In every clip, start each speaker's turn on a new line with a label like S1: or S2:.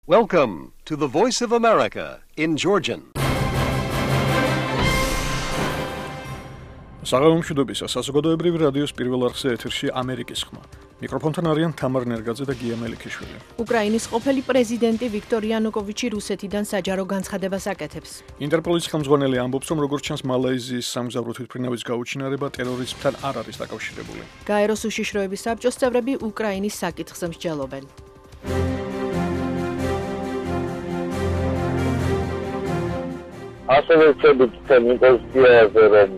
S1: Welcome to the Voice of America in Georgian.
S2: საღამომშვიდობისა საზოგადოებრივი რადიოს პირველ არხზე ეთერში ამერიკის ხმა. მიკროფონთან არიან თამარ ნერგაძე და გია მელიქიშვილი.
S3: უკრაინის ყოფილი პრეზიდენტი ვიქტორ იანუკოვიჩი რუსეთიდან საჯარო განცხადებას აკეთებს.
S2: ინტერპოლის ხელმძღვანელი ამბობს, რომ როგორც ჩანს მალაიზიის სამგზავრო თვითმფრინავის გაუჩინარება ტერორიზმთან არ არის დაკავშირებული.
S3: გაეროს უშიშროების საბჭოს წევრები უკრაინის საკითხზე მსჯელობენ.
S4: ასევე ვწევთ იმპოზიციაზე, რომ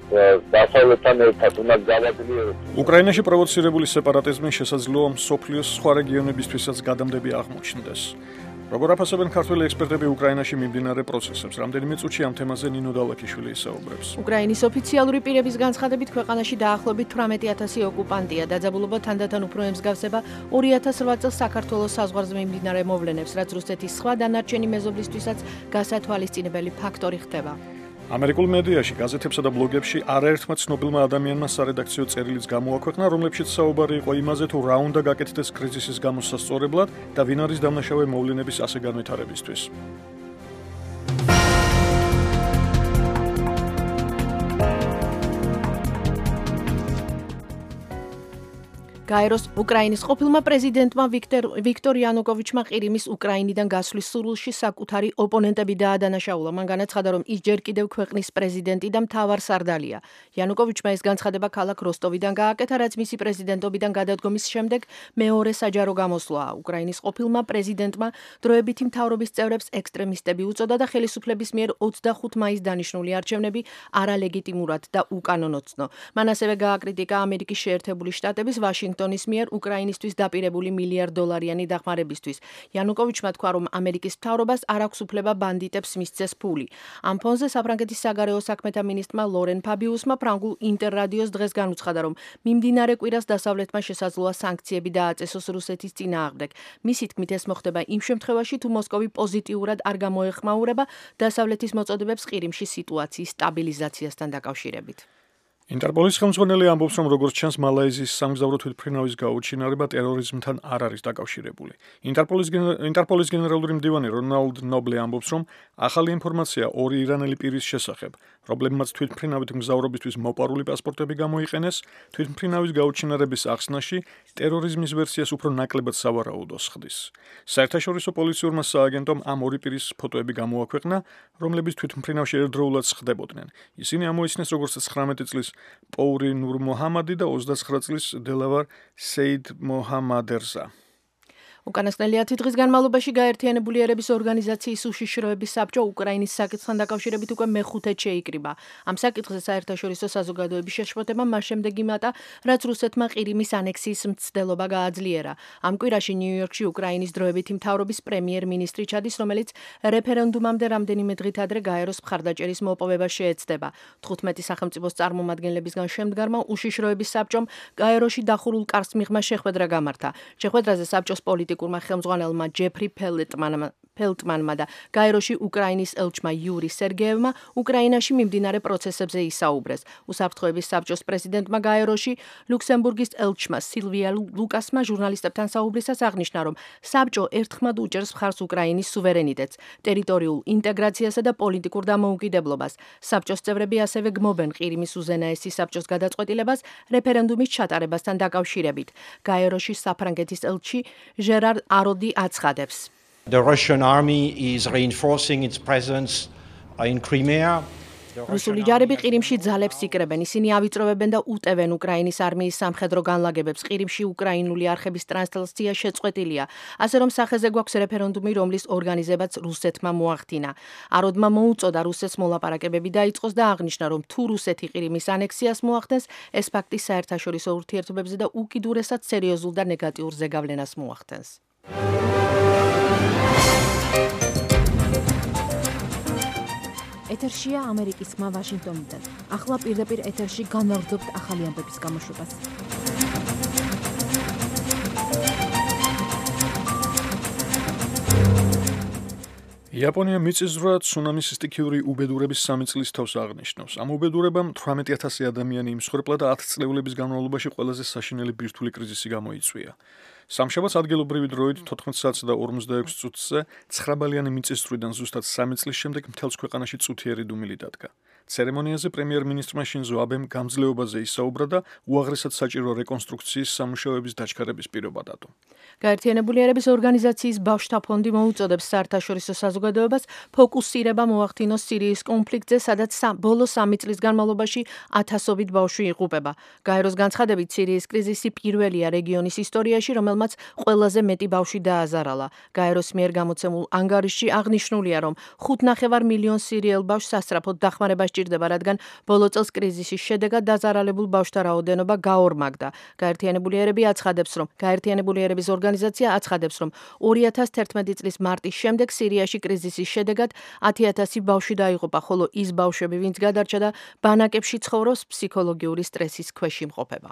S4: დასავლეთთან ერთად უნდა გავაძლიეროთ.
S2: უკრაინაში პროვოცირებული სეპარატიზმი შესაძლოა მსოფლიოს სხვა რეგიონებისთვისაც გადამდები აღმოჩნდეს. როგორ აფასებენ ქართველი ექსპერტები უკრაინაში მიმდინარე პროცესებს, რამდენიმე წუთში ამ თემაზე ნინო დალაქიშვილი ისაუბრებს.
S3: უკრაინის ოფიციალური პირების განცხადებით ქვეყანაში დაახლოებით 18,000 ოკუპანტია. დაძაბულობა თანდათან უფრო ემსგავსება 2008 წელს საქართველოს საზღვარზე მიმდინარე მოვლენებს, რაც რუსეთის სხვა დანარჩენი მეზობლისთვისაც გასათვალისწინებელი ფაქტორი ხდება.
S2: ამერიკულ მედიაში, გაზეთებსა და ბლოგებში არაერთმა ცნობილმა ადამიანმა სარედაქციო წერილიც გამოაქვეყნა, რომლებშიც საუბარი იყო იმაზე, თუ რა უნდა გაკეთდეს კრიზისის გამოსასწორებლად და ვინ არის დამნაშავე მოვლენების ასე განვითარებისთვის.
S3: გაეროს უკრაინის ყოფილმა პრეზიდენტმა ვიქტორ იანუკოვიჩმა ყირიმის უკრაინიდან გასვლის სურვილში საკუთარი ოპონენტები დაადანაშაულა. მან განაცხადა, რომ ის ჯერ კიდევ ქვეყნის პრეზიდენტი და მთავარსარდალია. იანუკოვიჩმა ეს განცხადება ქალაქ როსტოვიდან გააკეთა, რაც მისი პრეზიდენტობიდან გადადგომის შემდეგ მეორე საჯარო გამოსვლაა. უკრაინის ყოფილმა პრეზიდენტმა დროებითი მთავრობის წევრებს ექსტრემისტები უწოდა და ხელისუფლების მიერ 25 მაისს დანიშნული არჩევნები არალეგიტიმურად და უკანონო ცნო. მან ასევე გააკრიტიკა ამერიკის შეერთებული შტატების ვაშინგტონის მიერ უკრაინისთვის დაპირებული $1,000,000,000 დახმარებისთვის. იანუკოვიჩმა თქვა, რომ ამერიკის მთავრობას არ აქვს უფლება ბანდიტებს მისცეს ფული. ამ ფონზე საფრანგეთის საგარეო საქმეთა მინისტრმა ლორენ ფაბიუსმა ფრანგულ ინტერრადიოს დღეს განუცხადა, რომ მიმდინარე კვირას დასავლეთმა შესაძლოა სანქციები დააწესოს რუსეთის წინააღმდეგ. მისი თქმით, ეს მოხდება იმ შემთხვევაში, თუ მოსკოვი პოზიტიურად არ გამოეხმაურება დასავლეთის მოწოდებებს ყირიმში სიტუაციის სტაბილიზაციასთან დაკავშირებით.
S2: ინტერპოლის ხელმძღვანელი ამბობს, რომ როგორც ჩანს მალაიზიის სამგზავრო თვითმფრინავის გაუჩინარება ტერორიზმთან არ არის დაკავშირებული. ინტერპოლის გენერალური მდივანი რონალდ ნობლე ამბობს, რომ ახალი ინფორმაცია ორი ირანელი პირის შესახებ, რომლებმაც თვითმფრინავით მგზავრობისთვის მოპარული პასპორტები გამოიყენეს, თვითმფრინავის გაუჩინარების ახსნაში ტერორიზმის ვერსიას უფრო ნაკლებად სავარაუდოს ხდის. საერთაშორისო პოლიციურმა სააგენტომ ამ ორი პირის ფოტოები გამოაქვეყნა, რომლებიც თვითმფრინავში ერთდროულად ხდებოდნენ. ისინი ამოიცნეს როგორც 19 წლის პოური ნურმოჰამადი და 29 წლის დელავარ სეიდ მოჰამადერზა.
S3: უკანასკნელი 10 დღის განმავლობაში გაერთიანებული ერების ორგანიზაციის უშიშროების საბჭო უკრაინის საკითხთან დაკავშირებით უკვე მეხუთედ შეიკრიბა. ამ საკითხზე საერთაშორისო საზოგადოების შეშფოთება მას შემდეგ იმატა, რაც რუსეთმა ყირიმის ანექსიის მცდელობა გააძლიერა. ამ კვირაში ნიუ-იორკში უკრაინის დროებითი მთავრობის პრემიერ-მინისტრი ჩადის, რომელიც რეფერენდუმამდე რამდენიმე დღით ადრე გაეროს მხარდაჭერის მოპოვებას შეეცდება. 15 სახელმწიფოს წარმომადგენლებისგან შემდგარმა უშიშროების საბჭომ გაეროში დახურულ კარს მიღმა შეხვედრა გამართა. შეხვედრაზე საბჭოს პოლიტიკურმა ხელმძღვანელმა ჯეფრი ფელტმანმა და გაეროში უკრაინის ელჩმა იური სერგეევმა უკრაინაში მიმდინარე პროცესებზე ისაუბრეს. უსაფრთხოების საბჭოს პრეზიდენტმა გაეროში ლუქსემბურგის ელჩმა სილვია ლუკასმა ჟურნალისტებთან საუბრისას აღნიშნა, რომ საბჭო ერთხმად უჭერს მხარს უკრაინის სუვერენიტეტს, ტერიტორიულ ინტეგრაციასა და პოლიტიკურ დამოუკიდებლობას. საბჭოს წევრები ასევე გმობენ ყირიმის უზენაესი საბჭოს გადაწყვეტილებას რეფერენდუმის ჩატარებასთან დაკავშირებით. გაეროში საფრანგეთის ელჩი ჟერარ აროდი აცხადებს.
S5: The Russian army is reinforcing its presence in Crimea.
S3: რუსული ჯარები ყირიმში ძალებს იკრებენ. ისინი ავიწროვებენ და უტევენ უკრაინის არმიის სამხედრო განლაგებებს. ყირიმში უკრაინული არხების ტრანსლაცია შეწყვეტილია. ასე რომ სახეზე გვაქვს რეფერენდუმი, რომლის ორგანიზებაც რუსეთმა მოახდინა. აროდმა მოუწოდა რუსეთს მოლაპარაკებები დაიწყოს და აღნიშნა, რომ თუ რუსეთი ყირიმის ანექსიას მოახდენს, ეს ფაქტი საერთაშორისო ურთიერთობებზე და უკიდურესად სერიოზულ და ნეგატიურ ზეგავლენას მოახდენს. ეთერშია ამერიკის ხმა ვაშინგტონიდან. ახლა პირდაპირ ეთერში განვაგრძობთ ახალი ამბების გამოშვებას.
S2: იაპონია მიწისძვრა ცუნამის სტიქიური უბედურების 3 წლის თავს აღნიშნავს. ამ უბედურებამ 18,000 ადამიანი იმსხვერპლა და 10 წლეულების განმავლობაში ყველაზე საშინელი ბირთვული კრიზისი გამოიწვია. სამშაბათს ადგილობრივი დროით 14:46 წუთზე 9 ბალიანი მიწის ზრდიდან ზუსტად 3 წლის შემდეგ მთელს ქვეყანაში წუთიერი დუმილი დადგა. ცერემონიაზე პრემიერ-მინისტრმა შინზო აბემ გამძლეობაზე ისაუბრა და უაღრესად საჭირო რეკონსტრუქციის სამუშაოების დაჩქარების პირობა დადო.
S3: გაერთიანებული ერების ორგანიზაციის ბავშვთა ფონდი მოუწოდებს საერთაშორისო საზოგადოებას ფოკუსირება მოახდინოს სირიის კონფლიქტზე, სადაც ბოლო 3 წლის განმავლობაში ათასობით ბავშვი იღუპება. გაეროს განცხადებით, სირიის კრიზისი პირველია რეგიონის ისტორიაში, რომელმაც ყველაზე მეტი ბავშვი დააზარალა. გაეროს მიერ გამოცემულ ანგარიშში აღნიშნულია, რომ 5,5 მილიონი სირიელ ბავშვს სასწრაფოდ დახმარება სჭირდება, რადგან ბოლო წელს კრიზისის შედეგად დაზარალებულ ბავშვთა რაოდენობა გაორმაგდა. გაერთიანებული ერების ორგანიზაცია აცხადებს, რომ 2011 წლის მარტის შემდეგ სირიაში კრიზისის შედეგად 10,000 ბავშვი დაიღუპა, ხოლო ის ბავშვები, ვინც გადარჩა და ბანაკებში ცხოვრობს, ფსიქოლოგიური სტრესის ქვეშ იმყოფება.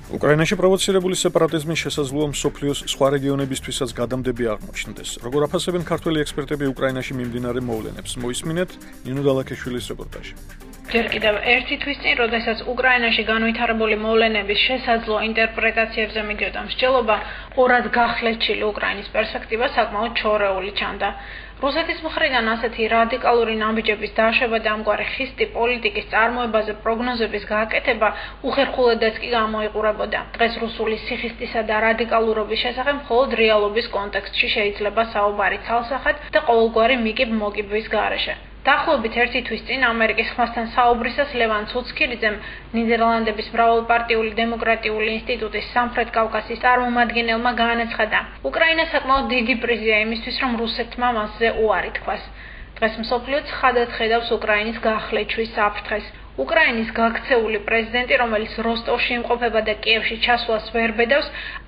S2: უკრაინაში პროვოცირებული სეპარატიზმის შესაძლოა მსოფლიოს სხვა რეგიონებისთვისაც გადამდები აღმოჩნდეს. როგორ აფასებენ ქართველი ექსპერტები უკრაინაში მიმდინარე მოვლენებს? მოისმინეთ ნინო დალაქეშვილის რეპორტაჟი.
S6: ჯერ კიდევ ერთი თვის წინ, როდესაც უკრაინაში განვითარებული მოვლენების შესაძლო ინტერპრეტაციებზე მიდიოდა მსჯელობა, ორად გახლეჩილი უკრაინის პერსპექტივა საკმაოდ ჩორეული ჩანდა. რუსეთის მხრიდან ასეთი რადიკალური ნაბიჯების დაშვება და ამგვარი ხისტი პოლიტიკის წარმოებაზე პროგნოზების გააკეთება უხერხულადაც კი გამოიყურებოდა. დღეს რუსული სიხისტისა და რადიკალურობის შესახებ მხოლოდ რეალობის კონტექსტში შეიძლება საუბარი ცალსახად და ყოველგვარი მიკიბ-მოკიბვის გარეშე. დაახლოებით ერთი თვის წინ ამერიკის ხმასთან საუბრისას ლევან ცუცქირიძემ ნიდერლანდების მრავალპარტიული დემოკრატიული ინსტიტუტის სამხრეთ კავკასიის წარმომადგენელმა განაცხადა, უკრაინა საკმაოდ დიდი პრიზია იმისთვის, რომ რუსეთმა მასზე უარი თქვას. დღეს მსოფლიო ცხადად ხედავს უკრაინის გახლეჩვის საფრთხეს. უკრაინის გაქცეული პრეზიდენტი, რომელიც როსტოვში იმყოფება და კიევში ჩასვლას ვერ ბედავს,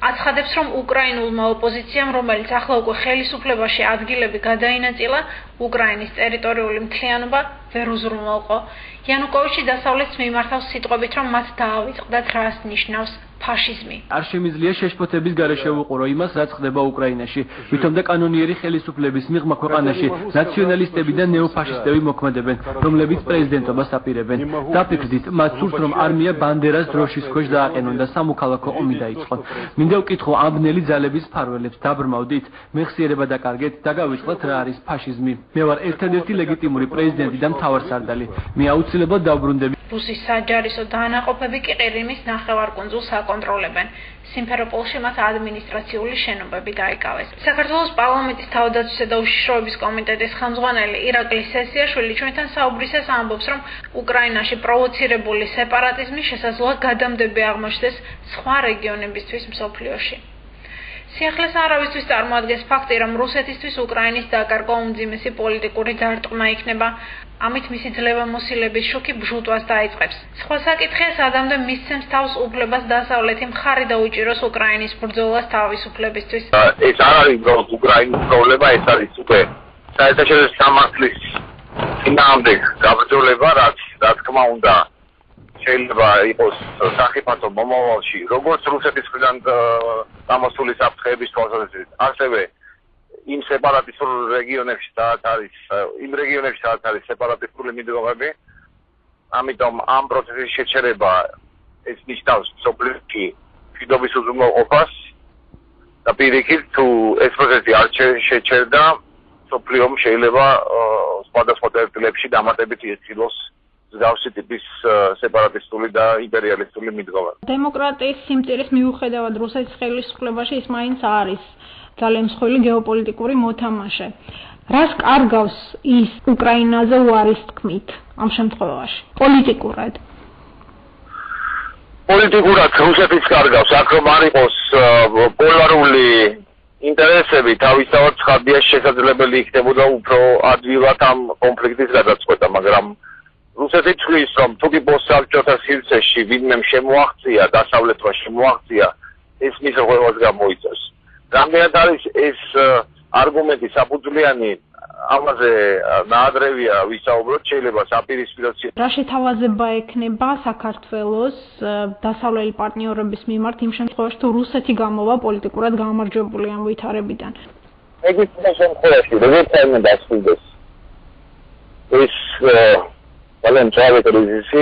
S6: აცხადებს, რომ უკრაინულმა ოპოზიციამ, რომელიც ახლა უკვე ხელისუფლებაში ადგილები გადაინაწილა, უკრაინის ტერიტორიული მთლიანობა ვერ უზრუნველყო. იანუკოვიჩი დასავლეთს მიმართავს სიტყვებით, რომ მათ დაავიწყდათ რას ნიშნავს ფაშიზმი.
S7: არ შემიძლია შეშფოთების გარეშე ვუყურო იმას, რაც ხდება უკრაინაში. ვითომ და კანონიერი ხელისუფლების მიღმა ქვეყანაში ნაციონალისტები და ნეოფაშისტები მოქმედებენ, რომლებიც პრეზიდენტობას აპირებენ. დაფიქრდით, მათ სურს, რომ არმია ბანდერას დროშის ქვეშ დააყენონ და სამოქალაქო ომი დაიწყონ. მინდა ვკითხო ამ ბნელი ძალების მფარველებს, დაბრმავდით, მეხსიერება დაკარგეთ და გავიწყდეთ რა არის ფაშიზმი. მე ვარ ერთადერთი ლეგიტიმური პრეზიდენტი და მთავარსარდალი. მე აუცილებლად დავბრუნდები.
S6: რუსის საჯარისო დაანაყოფები კი ყირიმის ნახევარკუნძულს აკონტროლებენ. სიმფეროპოლში მათ ადმინისტრაციული შენობები დაიკავეს. საქართველოს პარლამენტის თავდაცვისა და უშიშროების კომიტეტის ხელმძღვანელი ირაკლი სესიაშვილი ჩვენთან საუბრისას ამბობს, რომ უკრაინაში პროვოცირებული სეპარატიზმი შესაძლოა გადამდები აღმოჩნდეს სხვა რეგიონებისთვის მსოფლიოში. სიახლეს არავისთვის წარმოადგენს ფაქტი, რომ რუსეთისთვის უკრაინის დაკარგვა უმძიმესი პოლიტიკური დარტყმა იქნება. ამით მისი ძლევამოსილების შოქი ბჟუტვას დაიწყებს. სხვა საკითხია, სადამდე მისცემს თავს უფლებას დასავლეთი მხარი დაუჭიროს უკრაინის ბრძოლას თავისუფლებისთვის.
S4: ეს არ არის მხოლოდ უკრაინის პრობლემა, ეს არის უკვე საერთაშორისო სამართლის წინააღმდეგ გაბრძოლება, რაც რა თქმა უნდა შეიძლება იყოს სახიფათო მომავალში, როგორც რუსეთის მხრიდან გამოსული საფრთხეების თვალსაზრისით, ასევე იმ სეპარატისტულ რეგიონებში, სადაც არის სეპარატისტული მიდგომები, ამიტომ ამ პროცესის შეჩერება ეს ნიშნავს სოფლიოში მშვიდობის უზრუნველყოფას და პირიქით, თუ ეს პროცესი არ შეჩერდა, სოფლიომ შეიძლება სხვადასხვა წერტილებში დამატებით იხილოს მსგავსი ტიპის სეპარატისტული და იმპერიალისტული მიდგომა.
S6: დემოკრატიის სიმწირის მიუხედავად რუსეთის ხელისუფლებაში ის მაინც არის ძალიან მსხვილი გეოპოლიტიკური მოთამაშე. რას კარგავს ის უკრაინაზე უარის თქმით ამ შემთხვევაში? პოლიტიკურად.
S4: პოლიტიკურად რუსეთის კარგავს, აქ რომ არ იყოს პოლარული ინტერესები, თავისთავად ცხადია შესაძლებელი იქნებოდა უფრო ადვილად ამ კონფლიქტის გადაწყვეტა, მაგრამ რუსეთი თვლის, რომ თუ კი პოსტსაბჭოთა სივრცეში ვინმე შემოაღწია, დასავლეთმა შემოაღწია, ეს მის რღვევას გამოიწვევს. რამდენად არის ეს არგუმენტი საფუძვლიანი, ამაზე ნაადრევია ვისაუბროთ, შეიძლება საპირისპირო.
S6: რა შეთავაზება ექნება საქართველოს დასავლელი პარტნიორების მიმართ იმ შემთხვევაში, თუ რუსეთი გამოვა პოლიტიკურად გამარჯვებული ამ ვითარებიდან?
S4: ეგრეთ შემთხვევაში, როგორც უნდა დასრულდეს ეს ძალიან მწვავე კრიზისი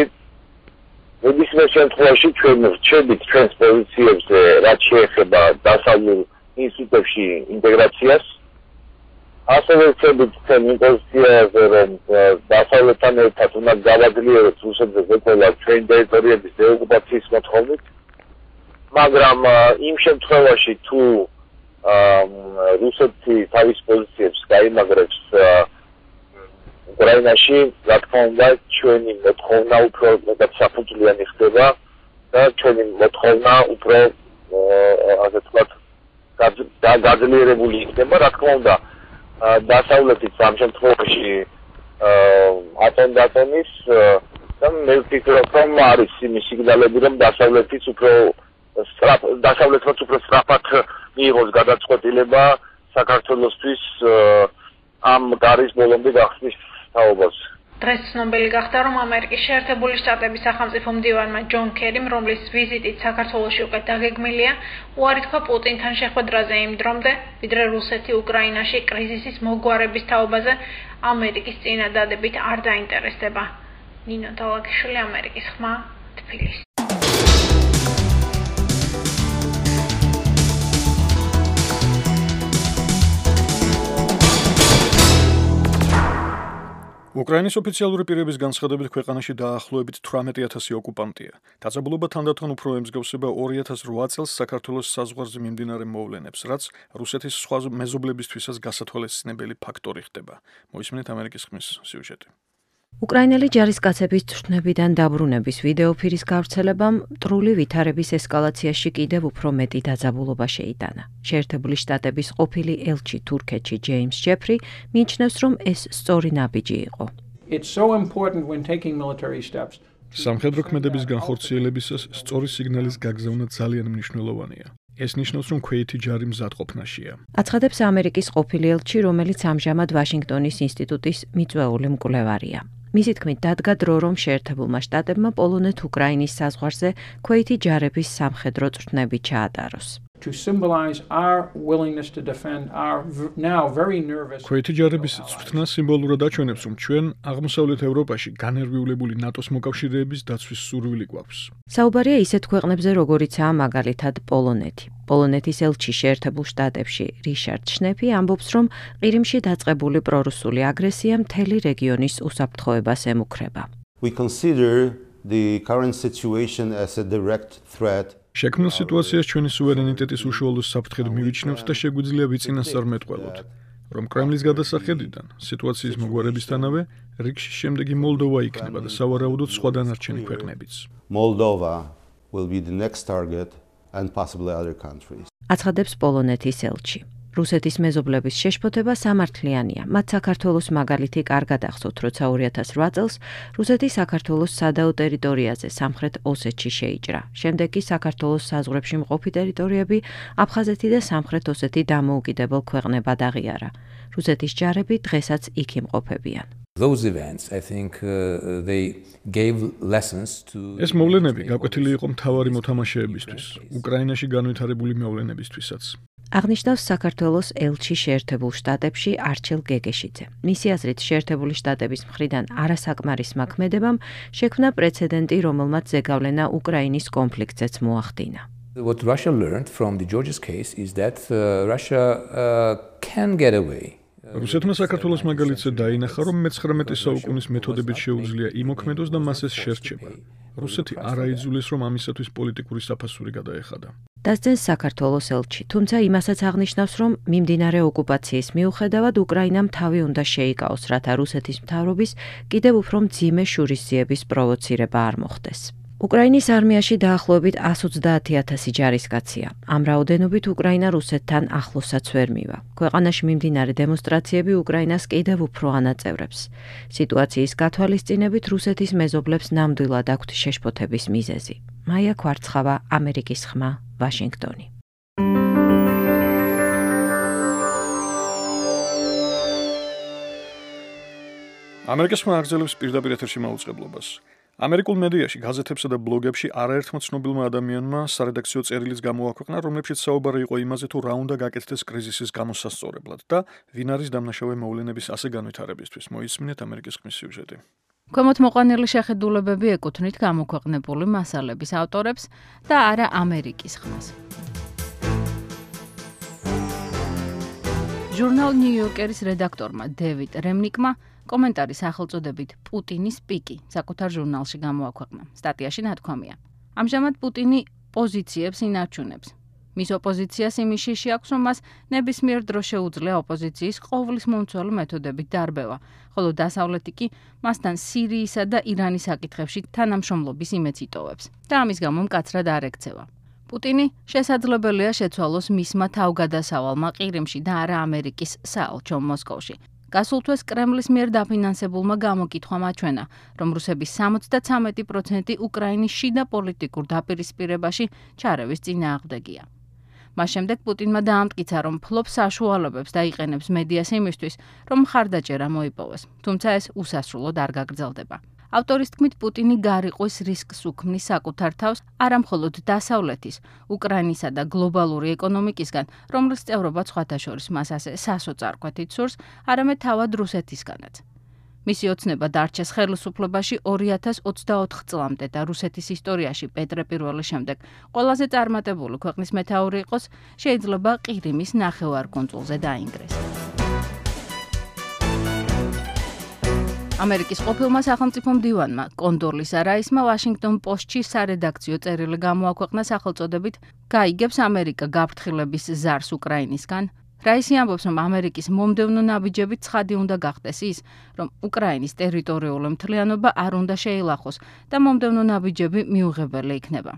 S4: ნებისმიერ შემთხვევაში ჩვენ ვრჩებით ჩვენს პოზიციებზე, რაც შეეხება დასავლურ ინსტიტუტებში ინტეგრაციას. ასევე ვრჩებით ჩვენი პოზიციაზე, რომ დასავლეთთან ერთად უნდა გავაძლიეროთ რუსეთზე ზეწოლა ჩვენი ტერიტორიების დეოკუპაციის მოთხოვნით. მაგრამ იმ შემთხვევაში თუ რუსეთი თავის პოზიციებს გაიმაგრებს უკრაინაში, რა თქმა უნდა, ჩვენი მოთხოვნა უფრო მეტად საფუძვლიანი ხდება და ჩვენი მოთხოვნა უფრო ასე ვთქვათ გაძლიერებული იქნება, რა თქმა უნდა, დასავლეთის ამ შემთხვევაში ატომის და მე ვფიქრობ, რომ არის იმის სიგნალები, რომ დასავლეთიც უფრო სწრაფად მიიღოს გადაწყვეტილება საქართველოსთვის ამ გარის ბოლომდე გახსნის თაობას.
S6: დღეს ცნობილი გახდა, რომ ამერიკის შეერთებული შტატების სახელმწიფო მდივანმა ჯონ კერიმ, რომლის ვიზიტით საქართველოში უკვე დაგეგმილია, უარი თქვა პუტინთან შეხვედრაზე იმ დრომდე, ვიდრე რუსეთი უკრაინაში კრიზისის მოგვარების თაობაზე ამერიკის წინადადებით არ დაინტერესდება. ნინო დალაგიშვილი, ამერიკის ხმა, თბილისი.
S2: უკრაინის ოფიციალური პირების განცხადებით ქვეყანაში დაახლოებით 18,000 ოკუპანტია. დაძაბულობა თანდათან უფრო ემსგავსება 2008 წელს საქართველოს საზღვარზე მიმდინარე მოვლენებს, რაც რუსეთის სხვა მეზობლებისთვისაც გასათვალისწინებელი ფაქტორი ხდება. მოისმინეთ ამერიკის ხმის სიუჟეტი.
S8: უკრაინელი ჯარისკაცების თვითმფრინავიდან დაბრუნების ვიდეოფირის გავრცელებამ მტრული ვითარების ესკალაციაში კიდევ უფრო მეტი დაძაბულობა შეიტანა. შეერთებული შტატების ყოფილი ელჩი თურქეთში ჯეიმს ჯეფრი მიიჩნევს, რომ ეს სწორი ნაბიჯი იყო.
S2: სამხედრო ქმედების განხორციელებისას სწორი სიგნალის გაგზავნა ძალიან მნიშვნელოვანია. ეს ნიშნავს, რომ ქვეითი ჯარი მზადყოფნაშია.
S8: აცხადებს ამერიკის ყოფილი ელჩი, რომელიც ამჟამად ვაშინგტონის ინსტიტუტის მიწვეული მკვლევარია. მისი თქმით, დადგა დრო, რომ შეერთებულმა შტატებმა პოლონეთ-უკრაინის საზღვარზე ქვეითი ჯარების სამხედრო წვრთნები ჩაატაროს.
S2: ქვეითი ჯარების წვრთნა სიმბოლურად აჩვენებს, რომ ჩვენ აღმოსავლეთ ევროპაში განერვიულებული ნატოს მოკავშირეების დაცვის სურვილი გვაქვს.
S8: საუბარია ისეთ ქვეყნებზე, როგორიცაა მაგალითად პოლონეთი. პოლონეთის ელჩი შეერთებულ შტატებში რიშარდ შნეფი ამბობს, რომ ყირიმში დაწყებული პრორუსული აგრესია მთელი რეგიონის უსაფრთხოებას ემუქრება.
S2: შექმნილ სიტუაციას ჩვენი სუვერენიტეტის უშუალო საფრთხედ მივიჩნევთ და შეგვიძლია ვიწინასწარმეტყველოთ, რომ კრემლის გადასახედიდან სიტუაციის მოგვარებისთანავე რიგში შემდეგი მოლდოვა იქნება და სავარაუდოდ სხვა დანარჩენი ქვეყნებიც.
S8: აცხადებს პოლონეთის ელჩი. რუსეთის მეზობლების შეშფოთება სამართლიანია. მათ საქართველოს მაგალითი კარგად ახსოვთ, როცა 2008 წელს რუსეთი საქართველოს სადაო ტერიტორიაზე სამხრეთ ოსეთში შეიჭრა. შემდეგ კი საქართველოს საზღვრებში მყოფი ტერიტორიები აფხაზეთი და სამხრეთ ოსეთი დამოუკიდებელ ქვეყნებად აღიარა. რუსეთის ჯარები დღესაც იქ იმყოფებიან.
S2: ეს მოვლენები გაკვეთილი იყო მთავარი მოთამაშეებისთვის, უკრაინაში განვითარებული მოვლენებისთვისაც.
S8: აღნიშნავს საქართველოს ელჩი შეერთებულ შტატებში არჩილ გეგეშიძე. მისი აზრით, შეერთებული შტატების მხრიდან არასაკმარისმა ქმედებამ შექმნა პრეცედენტი, რომელმაც ზეგავლენა უკრაინის კონფლიქტზეც მოახდინა.
S9: What Russia learned from the Georgia's case is that Russia can get away.
S2: რუსეთმა საქართველოს მაგალითზე დაინახა, რომ მე-19 საუკუნის მეთოდებით შეუძლია იმოქმედოს და მას ეს შერჩება. რუსეთი არ აიძულეს, რომ ამისათვის პოლიტიკური საფასური გადაეხადა.
S8: დასძენს საქართველოს ელჩი, თუმცა იმასაც აღნიშნავს, რომ მიმდინარე ოკუპაციის მიუხედავად უკრაინამ თავი უნდა შეიკავოს, რათა რუსეთის მთავრობის კიდევ უფრო მძიმე შურისძიების პროვოცირება არ მოხდეს. უკრაინის არმიაში დაახლოებით 130,000 ჯარისკაცია. ამ რაოდენობით უკრაინა რუსეთთან ახლოსაც ვერ მივა. ქვეყანაში მიმდინარე დემონსტრაციები უკრაინას კიდევ უფრო ანაწევრებს. სიტუაციის გათვალისწინებით რუსეთის მეზობლებს ნამდვილად აქვთ შეშფოთების მიზეზი. მაია კვარცხავა, ამერიკის ხმა, ვაშინგტონი.
S2: ამერიკის ხმა აგრძელებს პირდაპირ ეთერში მაუწყებლობას. ამერიკულ მედიაში, გაზეთებსა და ბლოგებში არაერთმა ცნობილმა ადამიანმა სარედაქციო წერილიც გამოაქვეყნა, რომლებშიც საუბარი იყო იმაზე, თუ რა უნდა გაკეთდეს კრიზისის გამოსასწორებლად და ვინ არის დამნაშავე მოვლენების ასე განვითარებისთვის. მოისმინეთ ამერიკის ხმის სიუჟეტი.
S10: ქვემოთ მოყვანილი შეხედულებები ეკუთვნით გამოქვეყნებული მასალების ავტორებს და არა ამერიკის ხმას. ჟურნალ ნიუ-იორკერის რედაქტორმა დევიდ რემნიკმა კომენტარი სახელწოდებით პუტინის პიკი საკუთარ ჟურნალში გამოაქვეყნა. სტატიაში ნათქვამია: ამჟამად პუტინი პოზიციებს ინარჩუნებს. მის ოპოზიციას იმის შიში აქვს, რომ მას ნებისმიერ დროს შეუძლია ოპოზიციის ყოვლის მომცველი მეთოდებით დარბევა, ხოლო დასავლეთი კი მასთან სირიისა და ირანის საკითხებში თანამშრომლობის იმედს იტოვებს და ამის გამო მკაცრად არ ექცევა. პუტინი შესაძლებელია შეცვალოს მისმა თავგადასავალმა ყირიმში და არა ამერიკის საელჩომ მოსკოვში. გასულ თვეს კრემლის მიერ დაფინანსებულმა გამოკითხვამ აჩვენა, რომ რუსების 73% უკრაინის შიდა პოლიტიკურ დაპირისპირებაში ჩარევის წინააღმდეგია. მას შემდეგ პუტინმა დაამტკიცა, რომ ფლობს საშუალებებს და იყენებს მედიას იმისთვის, რომ მხარდაჭერა მოიპოვოს, თუმცა ეს უსასრულოდ არ გაგრძელდება. ავტორის თქმით, პუტინი გარიყვის რისკს უქმნის საკუთარ თავს არა მხოლოდ დასავლეთის, უკრაინისა და გლობალური ეკონომიკისგან, რომლის წევრობა სხვათა შორის მას ასე სასოწარკვეთით სურს, არამედ თავად რუსეთისგანაც. მისი ოცნება დარჩეს ხელისუფლებაში 2024 წლამდე და რუსეთის ისტორიაში პეტრე პირველის შემდეგ ყველაზე წარმატებული ქვეყნის მეთაური იყოს, შეიძლება ყირიმის ნახევარკუნძულზე დაინგრეს. ამერიკის ყოფილმა სახელმწიფო მდივანმა კონდორლისა რაისმა ვაშინგტონ პოსტში სარედაქციო წერილი გამოაქვეყნა სახელწოდებით გაიგებს ამერიკა გაფრთხილების ზარს უკრაინისგან. რაისი ამბობს, რომ ამერიკის მომდევნო ნაბიჯებით ცხადი უნდა გახდეს ის, რომ უკრაინის ტერიტორიული მთლიანობა არ უნდა შეილახოს და მომდევნო ნაბიჯები მიუღებელი იქნება.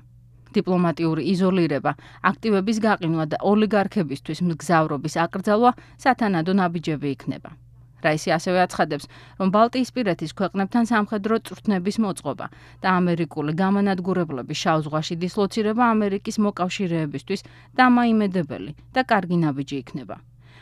S10: დიპლომატიური იზოლირება, აქტივების გაყინვა და ოლიგარქებისთვის მგზავრობის აკრძალვა სათანადო ნაბიჯები იქნება. რაისი ასევე აცხადებს, რომ ბალტიისპირეთის ქვეყნებთან სამხედრო წვრთნების მოწყობა და ამერიკული გამანადგურებლების შავ ზღვაში დისლოცირება ამერიკის მოკავშირეებისთვის დამაიმედებელი და კარგი ნაბიჯი იქნება.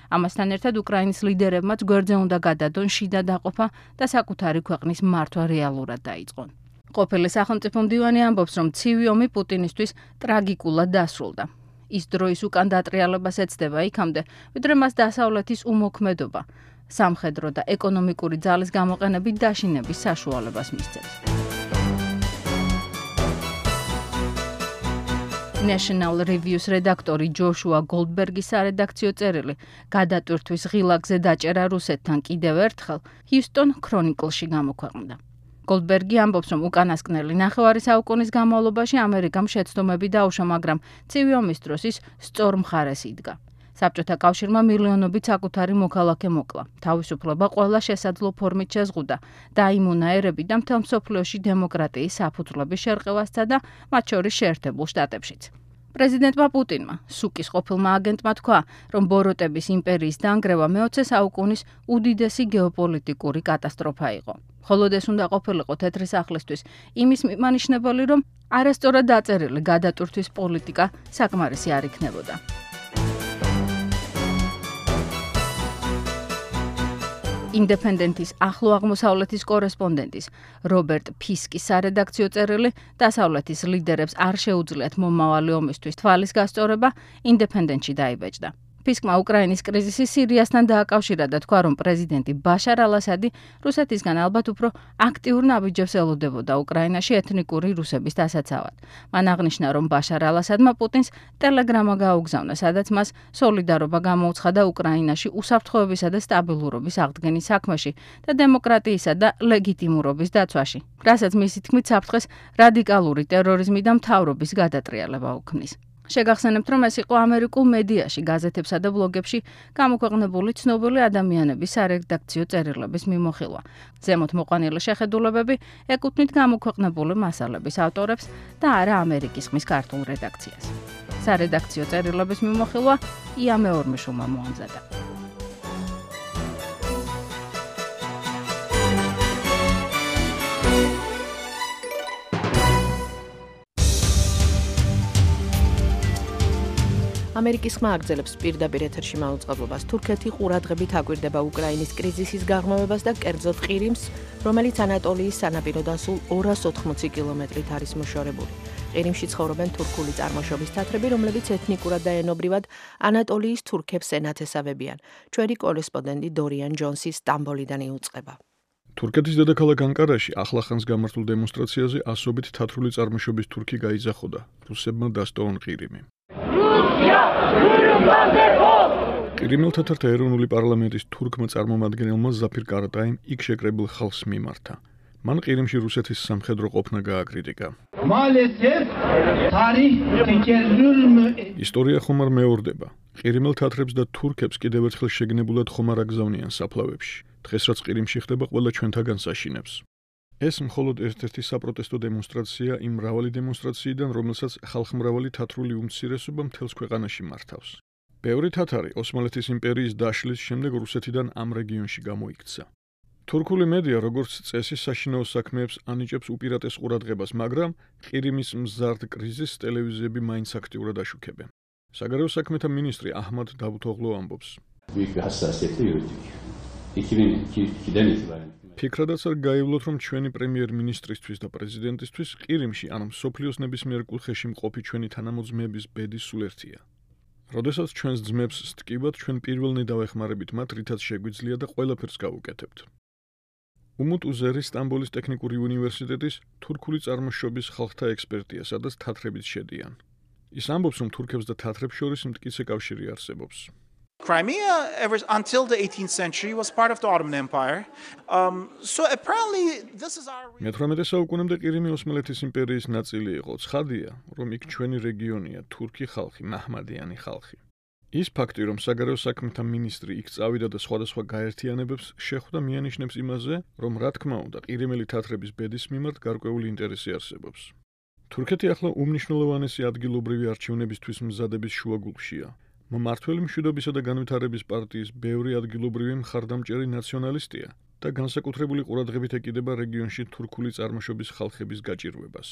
S10: ამასთან ერთად უკრაინის ლიდერებმაც გვერდზე უნდა გადადონ შიდა დაყოფა და საკუთარი ქვეყნის მართვა რეალურად დაიწყონ. ყოფილი სახელმწიფო მდივანი ამბობს, რომ ცივი ომი პუტინისთვის ტრაგიკულად დასრულდა. ის დროის უკან დატრიალებას ეცდება იქამდე, ვიდრე მას დასავლეთის უმოქმედობა, სამხედრო და ეკონომიკური ძალის გამოყენებით დაშინების საშუალებას მისცემს. National Review-ს რედაქტორი ჯოშუა გოლდბერგის სარედაქციო წერილი გადატვირთვის ღილაკზე დაჭერა რუსეთთან კიდევ ერთხელ Houston Chronicle-ში გამოქვეყნდა. გოლდბერგი ამბობს, რომ უკანასკნელი ნახევარი საუკუნის განმავლობაში ამერიკამ შეცდომები დაუშვა, მაგრამ ცივი ომის დროს ის სწორ მხარეს იდგა. საბჭოთა კავშირმა მილიონობით საკუთარი მოქალაქე მოკლა. თავისუფლება ყველა შესაძლო ფორმით შეზღუდა, დაიმონა ერები და მთელ მსოფლიოში დემოკრატიის საფუძვლების შერყევასცა და მათ შორის შეერთებულ შტატებშიც. პრეზიდენტმა პუტინმა, სუკის ყოფილმა აგენტმა თქვა, რომ ბოროტების იმპერიის დანგრევა მე-20 საუკუნის უდიდესი გეოპოლიტიკური კატასტროფა იყო. მხოლოდ ეს უნდა ყოფილიყო თეთრი სახლისთვის იმის მიმანიშნებელი, რომ არასწორად დაწერილი გადატვირთვის პოლიტიკა საკმარისი არ იქნებოდა. Independent-ის ახლო აღმოსავლეთის კორესპონდენტის რობერტ ფისკის სარედაქციო წერილი დასავლეთის ლიდერებს არ შეუძლიათ მომავალი ომისთვის თვალის გასწორება Independent-ში დაიბეჭდა. ფისკმა უკრაინის კრიზისი სირიასთან დააკავშირა და თქვა, რომ პრეზიდენტი ბაშარ ალ-ასადი რუსეთისგან ალბათ უფრო აქტიურ ნაბიჯებს ელოდებოდა უკრაინაში ეთნიკური რუსების დასაცავად. მან აღნიშნა, რომ ბაშარ ალ-ასადმა პუტინს ტელეგრამა გაუგზავნა, სადაც მას სოლიდარობა გამოუცხადა უკრაინაში უსაფრთხოებისა და სტაბილურობის აღდგენის საქმეში და დემოკრატიისა და ლეგიტიმურობის დაცვაში, რასაც მისი თქმით საფრთხეს რადიკალური ტერორიზმი და მთავრობის გადატრიალება უქმნის. შეგახსენებთ, რომ ეს იყო ამერიკულ მედიაში, გაზეთებსა და ბლოგებში გამოქვეყნებული ცნობილი ადამიანების სარედაქციო წერილების მიმოხილვა. ზემოთ მოყვანილი შეხედულებები ეკუთვნით გამოქვეყნებული მასალების ავტორებს და არა ამერიკის ხმის ქართულ რედაქციას. სარედაქციო წერილების მიმოხილვა ია მეორმიშვილმა მოამზადა.
S3: ამერიკის ხმა აგრძელებს პირდაპირ ეთერში მაუწყებლობას. თურქეთი ყურადღებით აკვირდება უკრაინის კრიზისის გაღრმავებას და კერძოდ ყირიმს, რომელიც ანატოლიის სანაპიროდან სულ 280 კილომეტრით არის მოშორებული. ყირიმში ცხოვრობენ თურქული წარმოშობის თათრები, რომლებიც ეთნიკურად და ენობრივად ანატოლიის თურქებს ენათესავებიან. ჩვენი კორესპონდენტი დორიან ჯონსი სტამბოლიდან იუწყება.
S2: თურქეთის დედაქალაქ ანკარაში ახლახანს გამართულ დემონსტრაციაზე ასობით თათრული წარმოშობის თურქი გაიძახოდა. რუსებმა დასტოვონ ყირიმი. ყირიმელ თათართა ეროვნული პარლამენტის თურქმა წარმომადგენელმა ზაფირ კარატაიმ იქ შეკრებილ ხალხს მიმართა. მან ყირიმში რუსეთის სამხედრო ყოფნა გააკრიტიკა. ისტორია ხომ არ მეორდება. ყირიმელ თათრებს და თურქებს კიდევ ერთხელ შეგნებულად ხომ არ აგზავნიან საფლავებში. დღეს რაც ყირიმში ხდება, ყველა ჩვენთაგან საშინებს. ეს მხოლოდ ერთ-ერთი საპროტესტო დემონსტრაცია იმ მრავალი დემონსტრაციიდან, რომელსაც ხალხმრავალი თათრული უმცირესობა მთელს ქვეყანაში მართავს. ბევრი თათარი ოსმალეთის იმპერიის დაშლის შემდეგ რუსეთიდან ამ რეგიონში გამოიქცა. თურქული მედია, როგორც წესი, საშინაო საქმეებს ანიჭებს უპირატეს ყურადღებას, მაგრამ ყირიმის მზარდ კრიზისს ტელევიზიები მაინც აქტიურად აშუქებენ. საგარეო საქმეთა მინისტრი აჰმად დავუთოღლუ ამბობს. ფიქრადაც არ გაივლოთ, რომ ჩვენი პრემიერ-მინისტრისთვის და პრეზიდენტისთვის ყირიმში ან მსოფლიოს ნებისმიერ კუთხეში მყოფი ჩვენი თანამოძმეების ბედი სულ ერთია. როდესაც ჩვენს ძმებს სტკივათ, ჩვენ პირველნი დავეხმარებით მათ, რითაც შეგვიძლია და ყველაფერს გავუკეთებთ. უმუტ უზერი სტამბოლის ტექნიკური უნივერსიტეტის თურქული წარმოშობის ხალხთა ექსპერტია, სადაც თათრებიც შედიან. ის ამბობს, რომ თურქებს და თათრებს შორის მტკიცე კავშირი არსებობს.
S11: Crimea, until the 18th century, was part of the Ottoman Empire. So apparently, this is our.
S2: მე-18 საუკუნემდე ყირიმი ოსმალეთის იმპერიის ნაწილი იყო. ცხადია, რომ იქ ჩვენი რეგიონია, თურქი ხალხი, მაჰმადიანი ხალხი. ის ფაქტი, რომ საგარეო საქმეთა მინისტრი იქ წავიდა და სხვადასხვა გაერთიანებებს შეხვდა, მიანიშნებს იმაზე, რომ რა თქმა უნდა, ყირიმელი თათრების ბედის მიმართ გარკვეული ინტერესი არსებობს. თურქეთი ახლა უმნიშვნელოვანესი ადგილობრივი არჩევნებისთვის მზადების შუაგულშია. მმართველი მშვიდობისა და განვითარების პარტიის ბევრი ადგილობრივი მხარდამჭერი ნაციონალისტია და განსაკუთრებული ყურადღებით ეკიდება რეგიონში თურქული წარმოშობის ხალხების გაჭირვებას.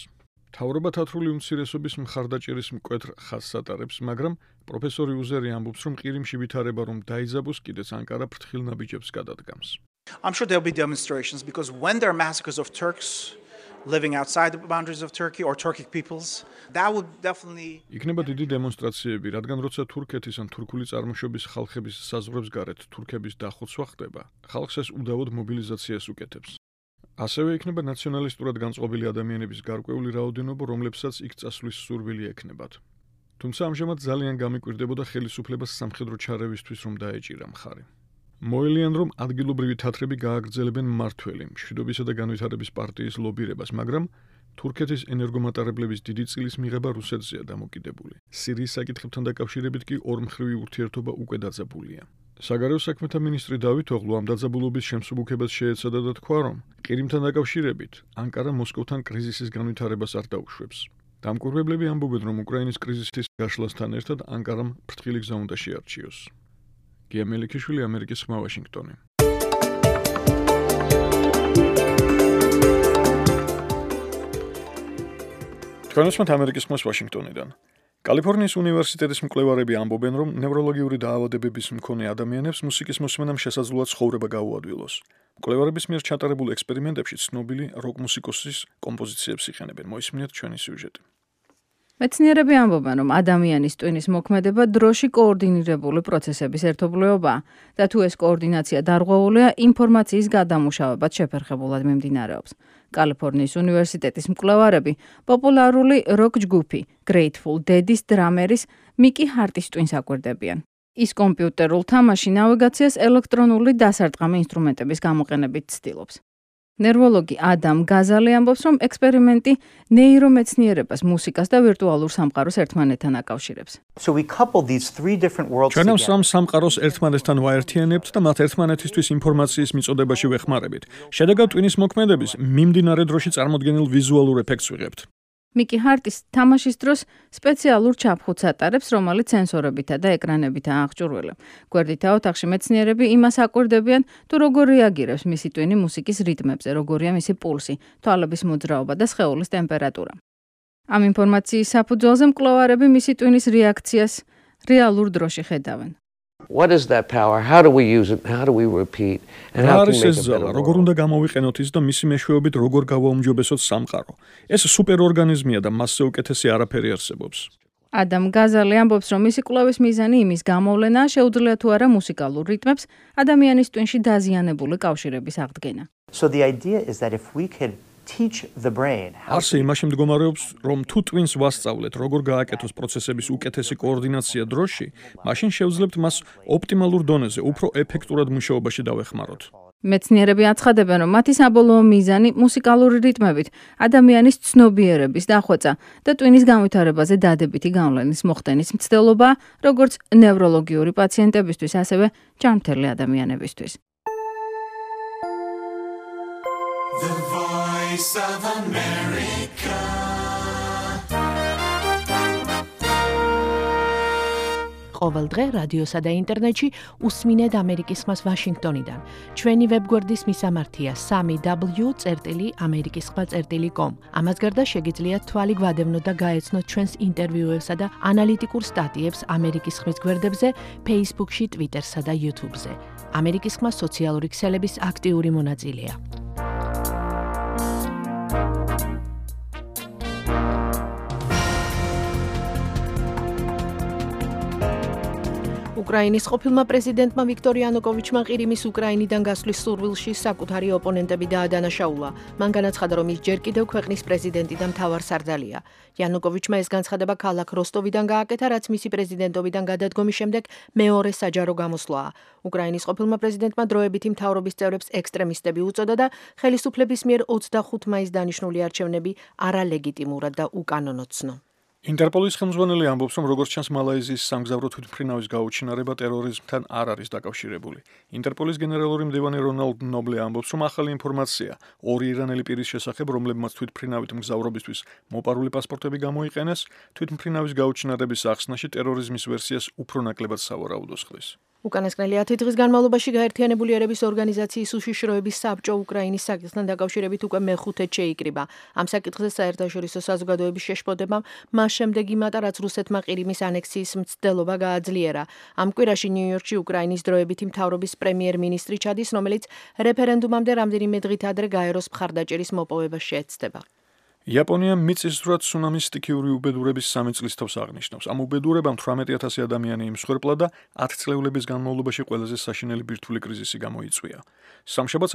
S2: მთავრობა თათრული უმცირესობის მხარდაჭერის მკვეთრ ხაზს ატარებს, მაგრამ პროფესორი უზერი ამბობს, რომ ყირიმში ვითარება რომ დაიძაბოს, კიდეც ანკარა ფრთხილ ნაბიჯებს გადადგამს.
S11: I'm sure there'll be demonstrations because when there are massacres of Turks living outside the boundaries of Turkey or Turkic peoples, that would definitely
S2: იქნება დიდი დემონსტრაციები, რადგან როცა თურქეთის ან თურქული წარმოშობის ხალხების საზღვრებს გარეთ თურქების დახოცვა ხდება, ხალხს ეს უდავოდ მობილიზაციას უკეთებს. ასევე იქნება ნაციონალისტურად განწყობილი ადამიანების გარკვეული რაოდენობა, რომლებსაც იქ წასვლის სურვილი ექნებათ. თუმცა ამჟამად ძალიან გამიკვირდებოდა ხელისუფლებას სამხედრო ჩარევისთვის, რომ დაეჭირა მხარი. მოელიან, რომ ადგილობრივი თათრები გააგრძელებენ მმართველი მშვიდობისა და განვითარების პარტიის ლობირებას, მაგრამ თურქეთის ენერგომატარებლების დიდი წილის მიღება რუსეთზეა დამოკიდებული. სირიის საკითხებთან დაკავშირებით კი ორმხრივი ურთიერთობა უკვე დაძაბულია. საგარეო საქმეთა მინისტრი დავითოღლუ ამ დაძაბულობის შემსუბუქებას შეეცადა და თქვა, რომ ყირიმთან დაკავშირებით ანკარა მოსკოვთან კრიზისის განვითარებას არ დაუშვებს. დამკვირვებლები ამბობენ, რომ უკრაინის კრიზისის გაშლასთან ერთად ანკარამ ფრთხილი გზა უნდა შეარჩიოს. გია მელიქიშვილი, ამერიკის ხმა, ვაშინგტონი. თქვენოსმოთ ამერიკის ხმას ვაშინგტონიდან. კალიფორნიის უნივერსიტეტის მკვლევარები ამბობენ, რომ ნევროლოგიური დაავადებების მქონე ადამიანებს მუსიკის მოსმენამ შესაძლოა ცხოვრება გაუადვილოს. მკვლევარების მიერ ჩატარებულ ექსპერიმენტებში ცნობილი როკ მუსიკოსის კომპოზიციებს იყენებენ. მოისმინეთ ჩვენი სიუჟეტი.
S10: მეცნიერები ამბობენ, რომ ადამიანის ტვინის მოქმედება დროში კოორდინირებული პროცესების ერთობლიობაა და თუ ეს კოორდინაცია დარღვეულია, ინფორმაციის გადამუშავებაც შეფერხებულად მიმდინარეობს. კალიფორნიის უნივერსიტეტის მკვლევარები პოპულარული როკ ჯგუფი Grateful Dead-ის დრამერის მიკი ჰარტის ტვინს აკვირდებიან. ის კომპიუტერულ თამაში ნავიგაციას ელექტრონული დასარტყამი ინსტრუმენტების გამოყენებით ცდილობს. ნევროლოგი ადამ გაზალი ამბობს, რომ ექსპერიმენტი ნეირომეცნიერებას, მუსიკას და ვირტუალურ სამყაროს ერთმანეთთან აკავშირებს.
S2: ჩვენ ამ სამ სამყაროს ერთმანეთთან ვაერთიანებთ და მათ ერთმანეთისთვის ინფორმაციის მიწოდებაში ვეხმარებით. შედეგად ტვინის მოქმედების მიმდინარე დროში წარმოდგენილ ვიზუალურ ეფექტს ვიღებთ.
S10: მიკი ჰარტის თამაშის დროს სპეციალურ ჩაფხუტს ატარებს, რომელიც სენსორებითა და ეკრანებითაა აღჭურვილი. გვერდითა ოთახში მეცნიერები იმას აკვირდებიან, თუ როგორ რეაგირებს მისი ტვინი მუსიკის რიტმებზე, როგორია მისი პულსი, თვალების მოძრაობა და სხეულის ტემპერატურა. ამ ინფორმაციის საფუძველზე მკვლევარები მისი ტვინის რეაქციას რეალურ დროში ხედავენ.
S12: What is that power? How do we use it? How do we repeat? And how can we make it better?
S2: როგორ უნდა გამოვიყენოთ ის და მისი მეშვეობით როგორ გავაუმჯობესოთ სამყარო. ეს სუპერორგანიზმია და მასზე უკეთესი არაფერი არსებობს.
S10: ადამ გაზალი ამბობს, რომ მისი კვლევის მიზანი იმის გამოვლენა შეუძლია თუ არა მუსიკალურ რიტმებს ადამიანის ტვინში დაზიანებული კავშირების აღდგენა.
S13: So the idea is that if we could teach the brain
S2: არსი იმაში მდგომარეობს, რომ თუ ტვინს ვასწავლეთ, როგორ გააკეთოს პროცესების უკეთესი კოორდინაცია დროში, მაშინ შევძლებთ მას ოპტიმალურ დონეზე, უფრო ეფექტურად მუშაობაში დავეხმაროთ.
S10: მეცნიერები აცხადებენ, რომ მათი საბოლოო მიზანი მუსიკალური რიტმებით ადამიანის ცნობიერების დახვეწა და ტვინის განვითარებაზე დადებითი გავლენის მოხდენის მცდელობა, როგორც ნევროლოგიური პაციენტებისთვის, ასევე ჯანმრთელი ადამიანებისთვის.
S14: The Voice of America.
S3: ყოველ დღე რადიოსა და ინტერნეტში უსმინეთ ამერიკის ხმას ვაშინგტონიდან. ჩვენი ვებგვერდის მისამართია 3w.amerikiskhma.com. ამას გარდა შეგიძლიათ თვალი გვადევნოთ და გაეცნოთ ჩვენს ინტერვიუებსა და ანალიტიკურ სტატიებს ამერიკის ხმის გვერდებზე, Facebook-ში, Twitter-სა და YouTube-ზე. ამერიკის ხმა სოციალური ქსელების აქტიური მონაწილეა. უკრაინის ყოფილმა პრეზიდენტმა ვიქტორ იანუკოვიჩმა ყირიმის უკრაინიდან გასვლის სურვილში საკუთარი ოპონენტები დაადანაშაულა. მან განაცხადა, რომ ის ჯერ კიდევ ქვეყნის პრეზიდენტი და მთავარსარდალია. იანუკოვიჩმა ეს განცხადება ქალაქ როსტოვიდან გააკეთა, რაც მისი პრეზიდენტობიდან გადადგომის შემდეგ მეორე საჯარო გამოსვლაა. უკრაინის ყოფილმა პრეზიდენტმა დროებითი მთავრობის წევრებს ექსტრემისტები უწოდა და ხელისუფლების მიერ 25 მაისს დანიშნული არჩევნები არალეგიტიმურად და უკანონო ცნო.
S2: ინტერპოლის ხელმძღვანელი ამბობს, რომ როგორც ჩანს მალაიზიის სამგზავრო თვითმფრინავის გაუჩინარება ტერორიზმთან არ არის დაკავშირებული. ინტერპოლის გენერალური მდივანი რონალდ ნობლე ამბობს, რომ ახალი ინფორმაცია ორი ირანელი პირის შესახებ, რომლებმაც თვითმფრინავით მგზავრობისთვის მოპარული პასპორტები გამოიყენეს, თვითმფრინავის გაუჩინარების ახსნაში ტერორიზმის ვერსიას უფრო ნაკლებად სავარაუდოს ხდის.
S3: უკანასკნელი 10 დღის განმავლობაში გაერთიანებული ერების ორგანიზაციის უშიშროების საბჭო უკრაინის საკითხთან დაკავშირებით უკვე მეხუთედ შეიკრიბა. ამ საკითხზე საერთაშორისო საზოგადოების შეშფოთებამ მას შემდეგ იმატა, რაც რუსეთმა ყირიმის ანექსიის მცდელობა გააძლიერა. ამ კვირაში ნიუ-იორკში უკრაინის დროებითი მთავრობის პრემიერ-მინისტრი ჩადის, რომელიც რეფერენდუმამდე რამდენიმე დღით ადრე გაეროს მხარდაჭერის მოპოვებას შეეცდება.
S2: იაპონია მიწისძვრად ცუნამის სტიქიური უბედურების 3 წლის თავს აღნიშნავს. ამ უბედურებამ 18,000 ადამიანი იმსხვერპლა და 10 წლეულების განმავლობაში ყველაზე საშინელი ბირთვული კრიზისი გამოიწვია. სამშაბათს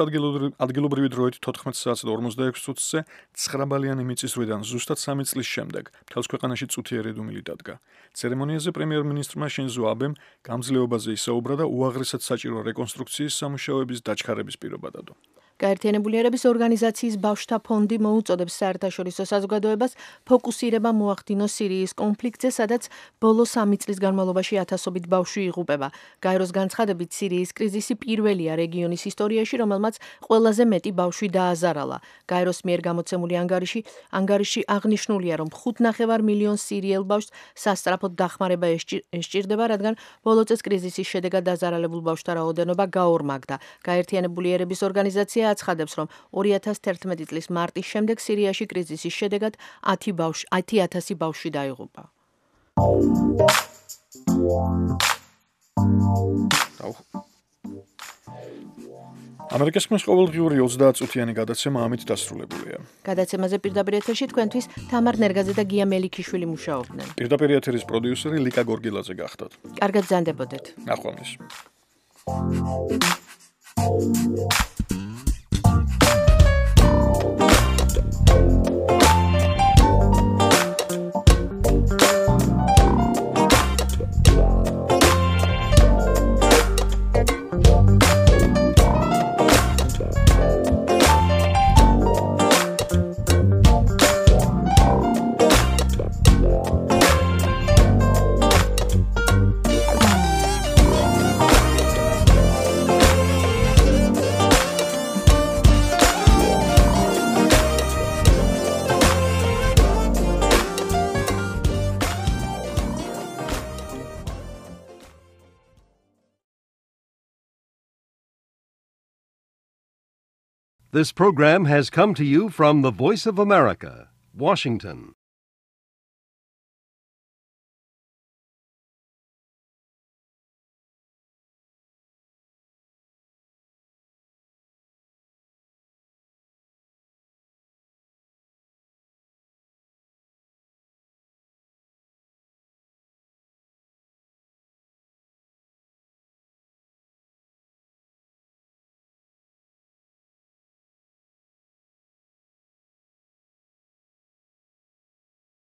S2: ადგილობრივი დროით 14 საათს და 46 წუთზე 9 ბალიანი მიწისძვრიდან ზუსტად 3 წლის შემდეგ მთელს ქვეყანაში წუთიერი დუმილი დადგა. ცერემონიაზე პრემიერ-მინისტრმა შინზო აბემ გამძლეობაზე ისაუბრა და უაღრესად საჭირო რეკონსტრუქციის სამუშაოების დაჩქარების პირობა დადო.
S3: გაერთიანებული ერების ორგანიზაციის ბავშვთა ფონდი მოუწოდებს საერთაშორისო საზოგადოებას ფოკუსირება მოახდინოს სირიის კონფლიქტზე, სადაც ბოლო 3 წლის განმავლობაში ათასობით ბავშვი იღუპება. გაეროს განცხადებით, სირიის კრიზისი პირველია რეგიონის ისტორიაში, რომელმაც ყველაზე მეტი ბავშვი დააზარალა. გაეროს მიერ გამოცემული ანგარიში აღნიშნულია, რომ 5,5 მილიონს სირიელ ბავშვს სასწრაფოდ დახმარება ესჭირდება, რადგან ბოლო წელს კრიზისის შედეგად დაზარალებულ ბავშვთა რაოდენობა გაორმაგდა. გაერთიანებული ერების ორგანიზაცია აცხადებს, რომ 2011 წლის მარტის შემდეგ სირიაში კრიზისის შედეგად 10,000 ბავშვი დაიღუპა.
S2: ამერიკის ხმის ყოველდღიური 30 წუთიანი გადაცემა ამით დასრულებულია.
S3: გადაცემაზე პირდაპირ ეთერში თქვენთვის თამარ ნერგაძე და გია მელიქიშვილი მუშაობდნენ.
S2: პირდაპირ ეთერის პროდიუსერი ლიკა გორგილაძე გახდათ.
S3: კარგად ბრძანდებოდეთ.
S2: ნახვამდის.
S1: This program has come to you from the Voice of America, Washington.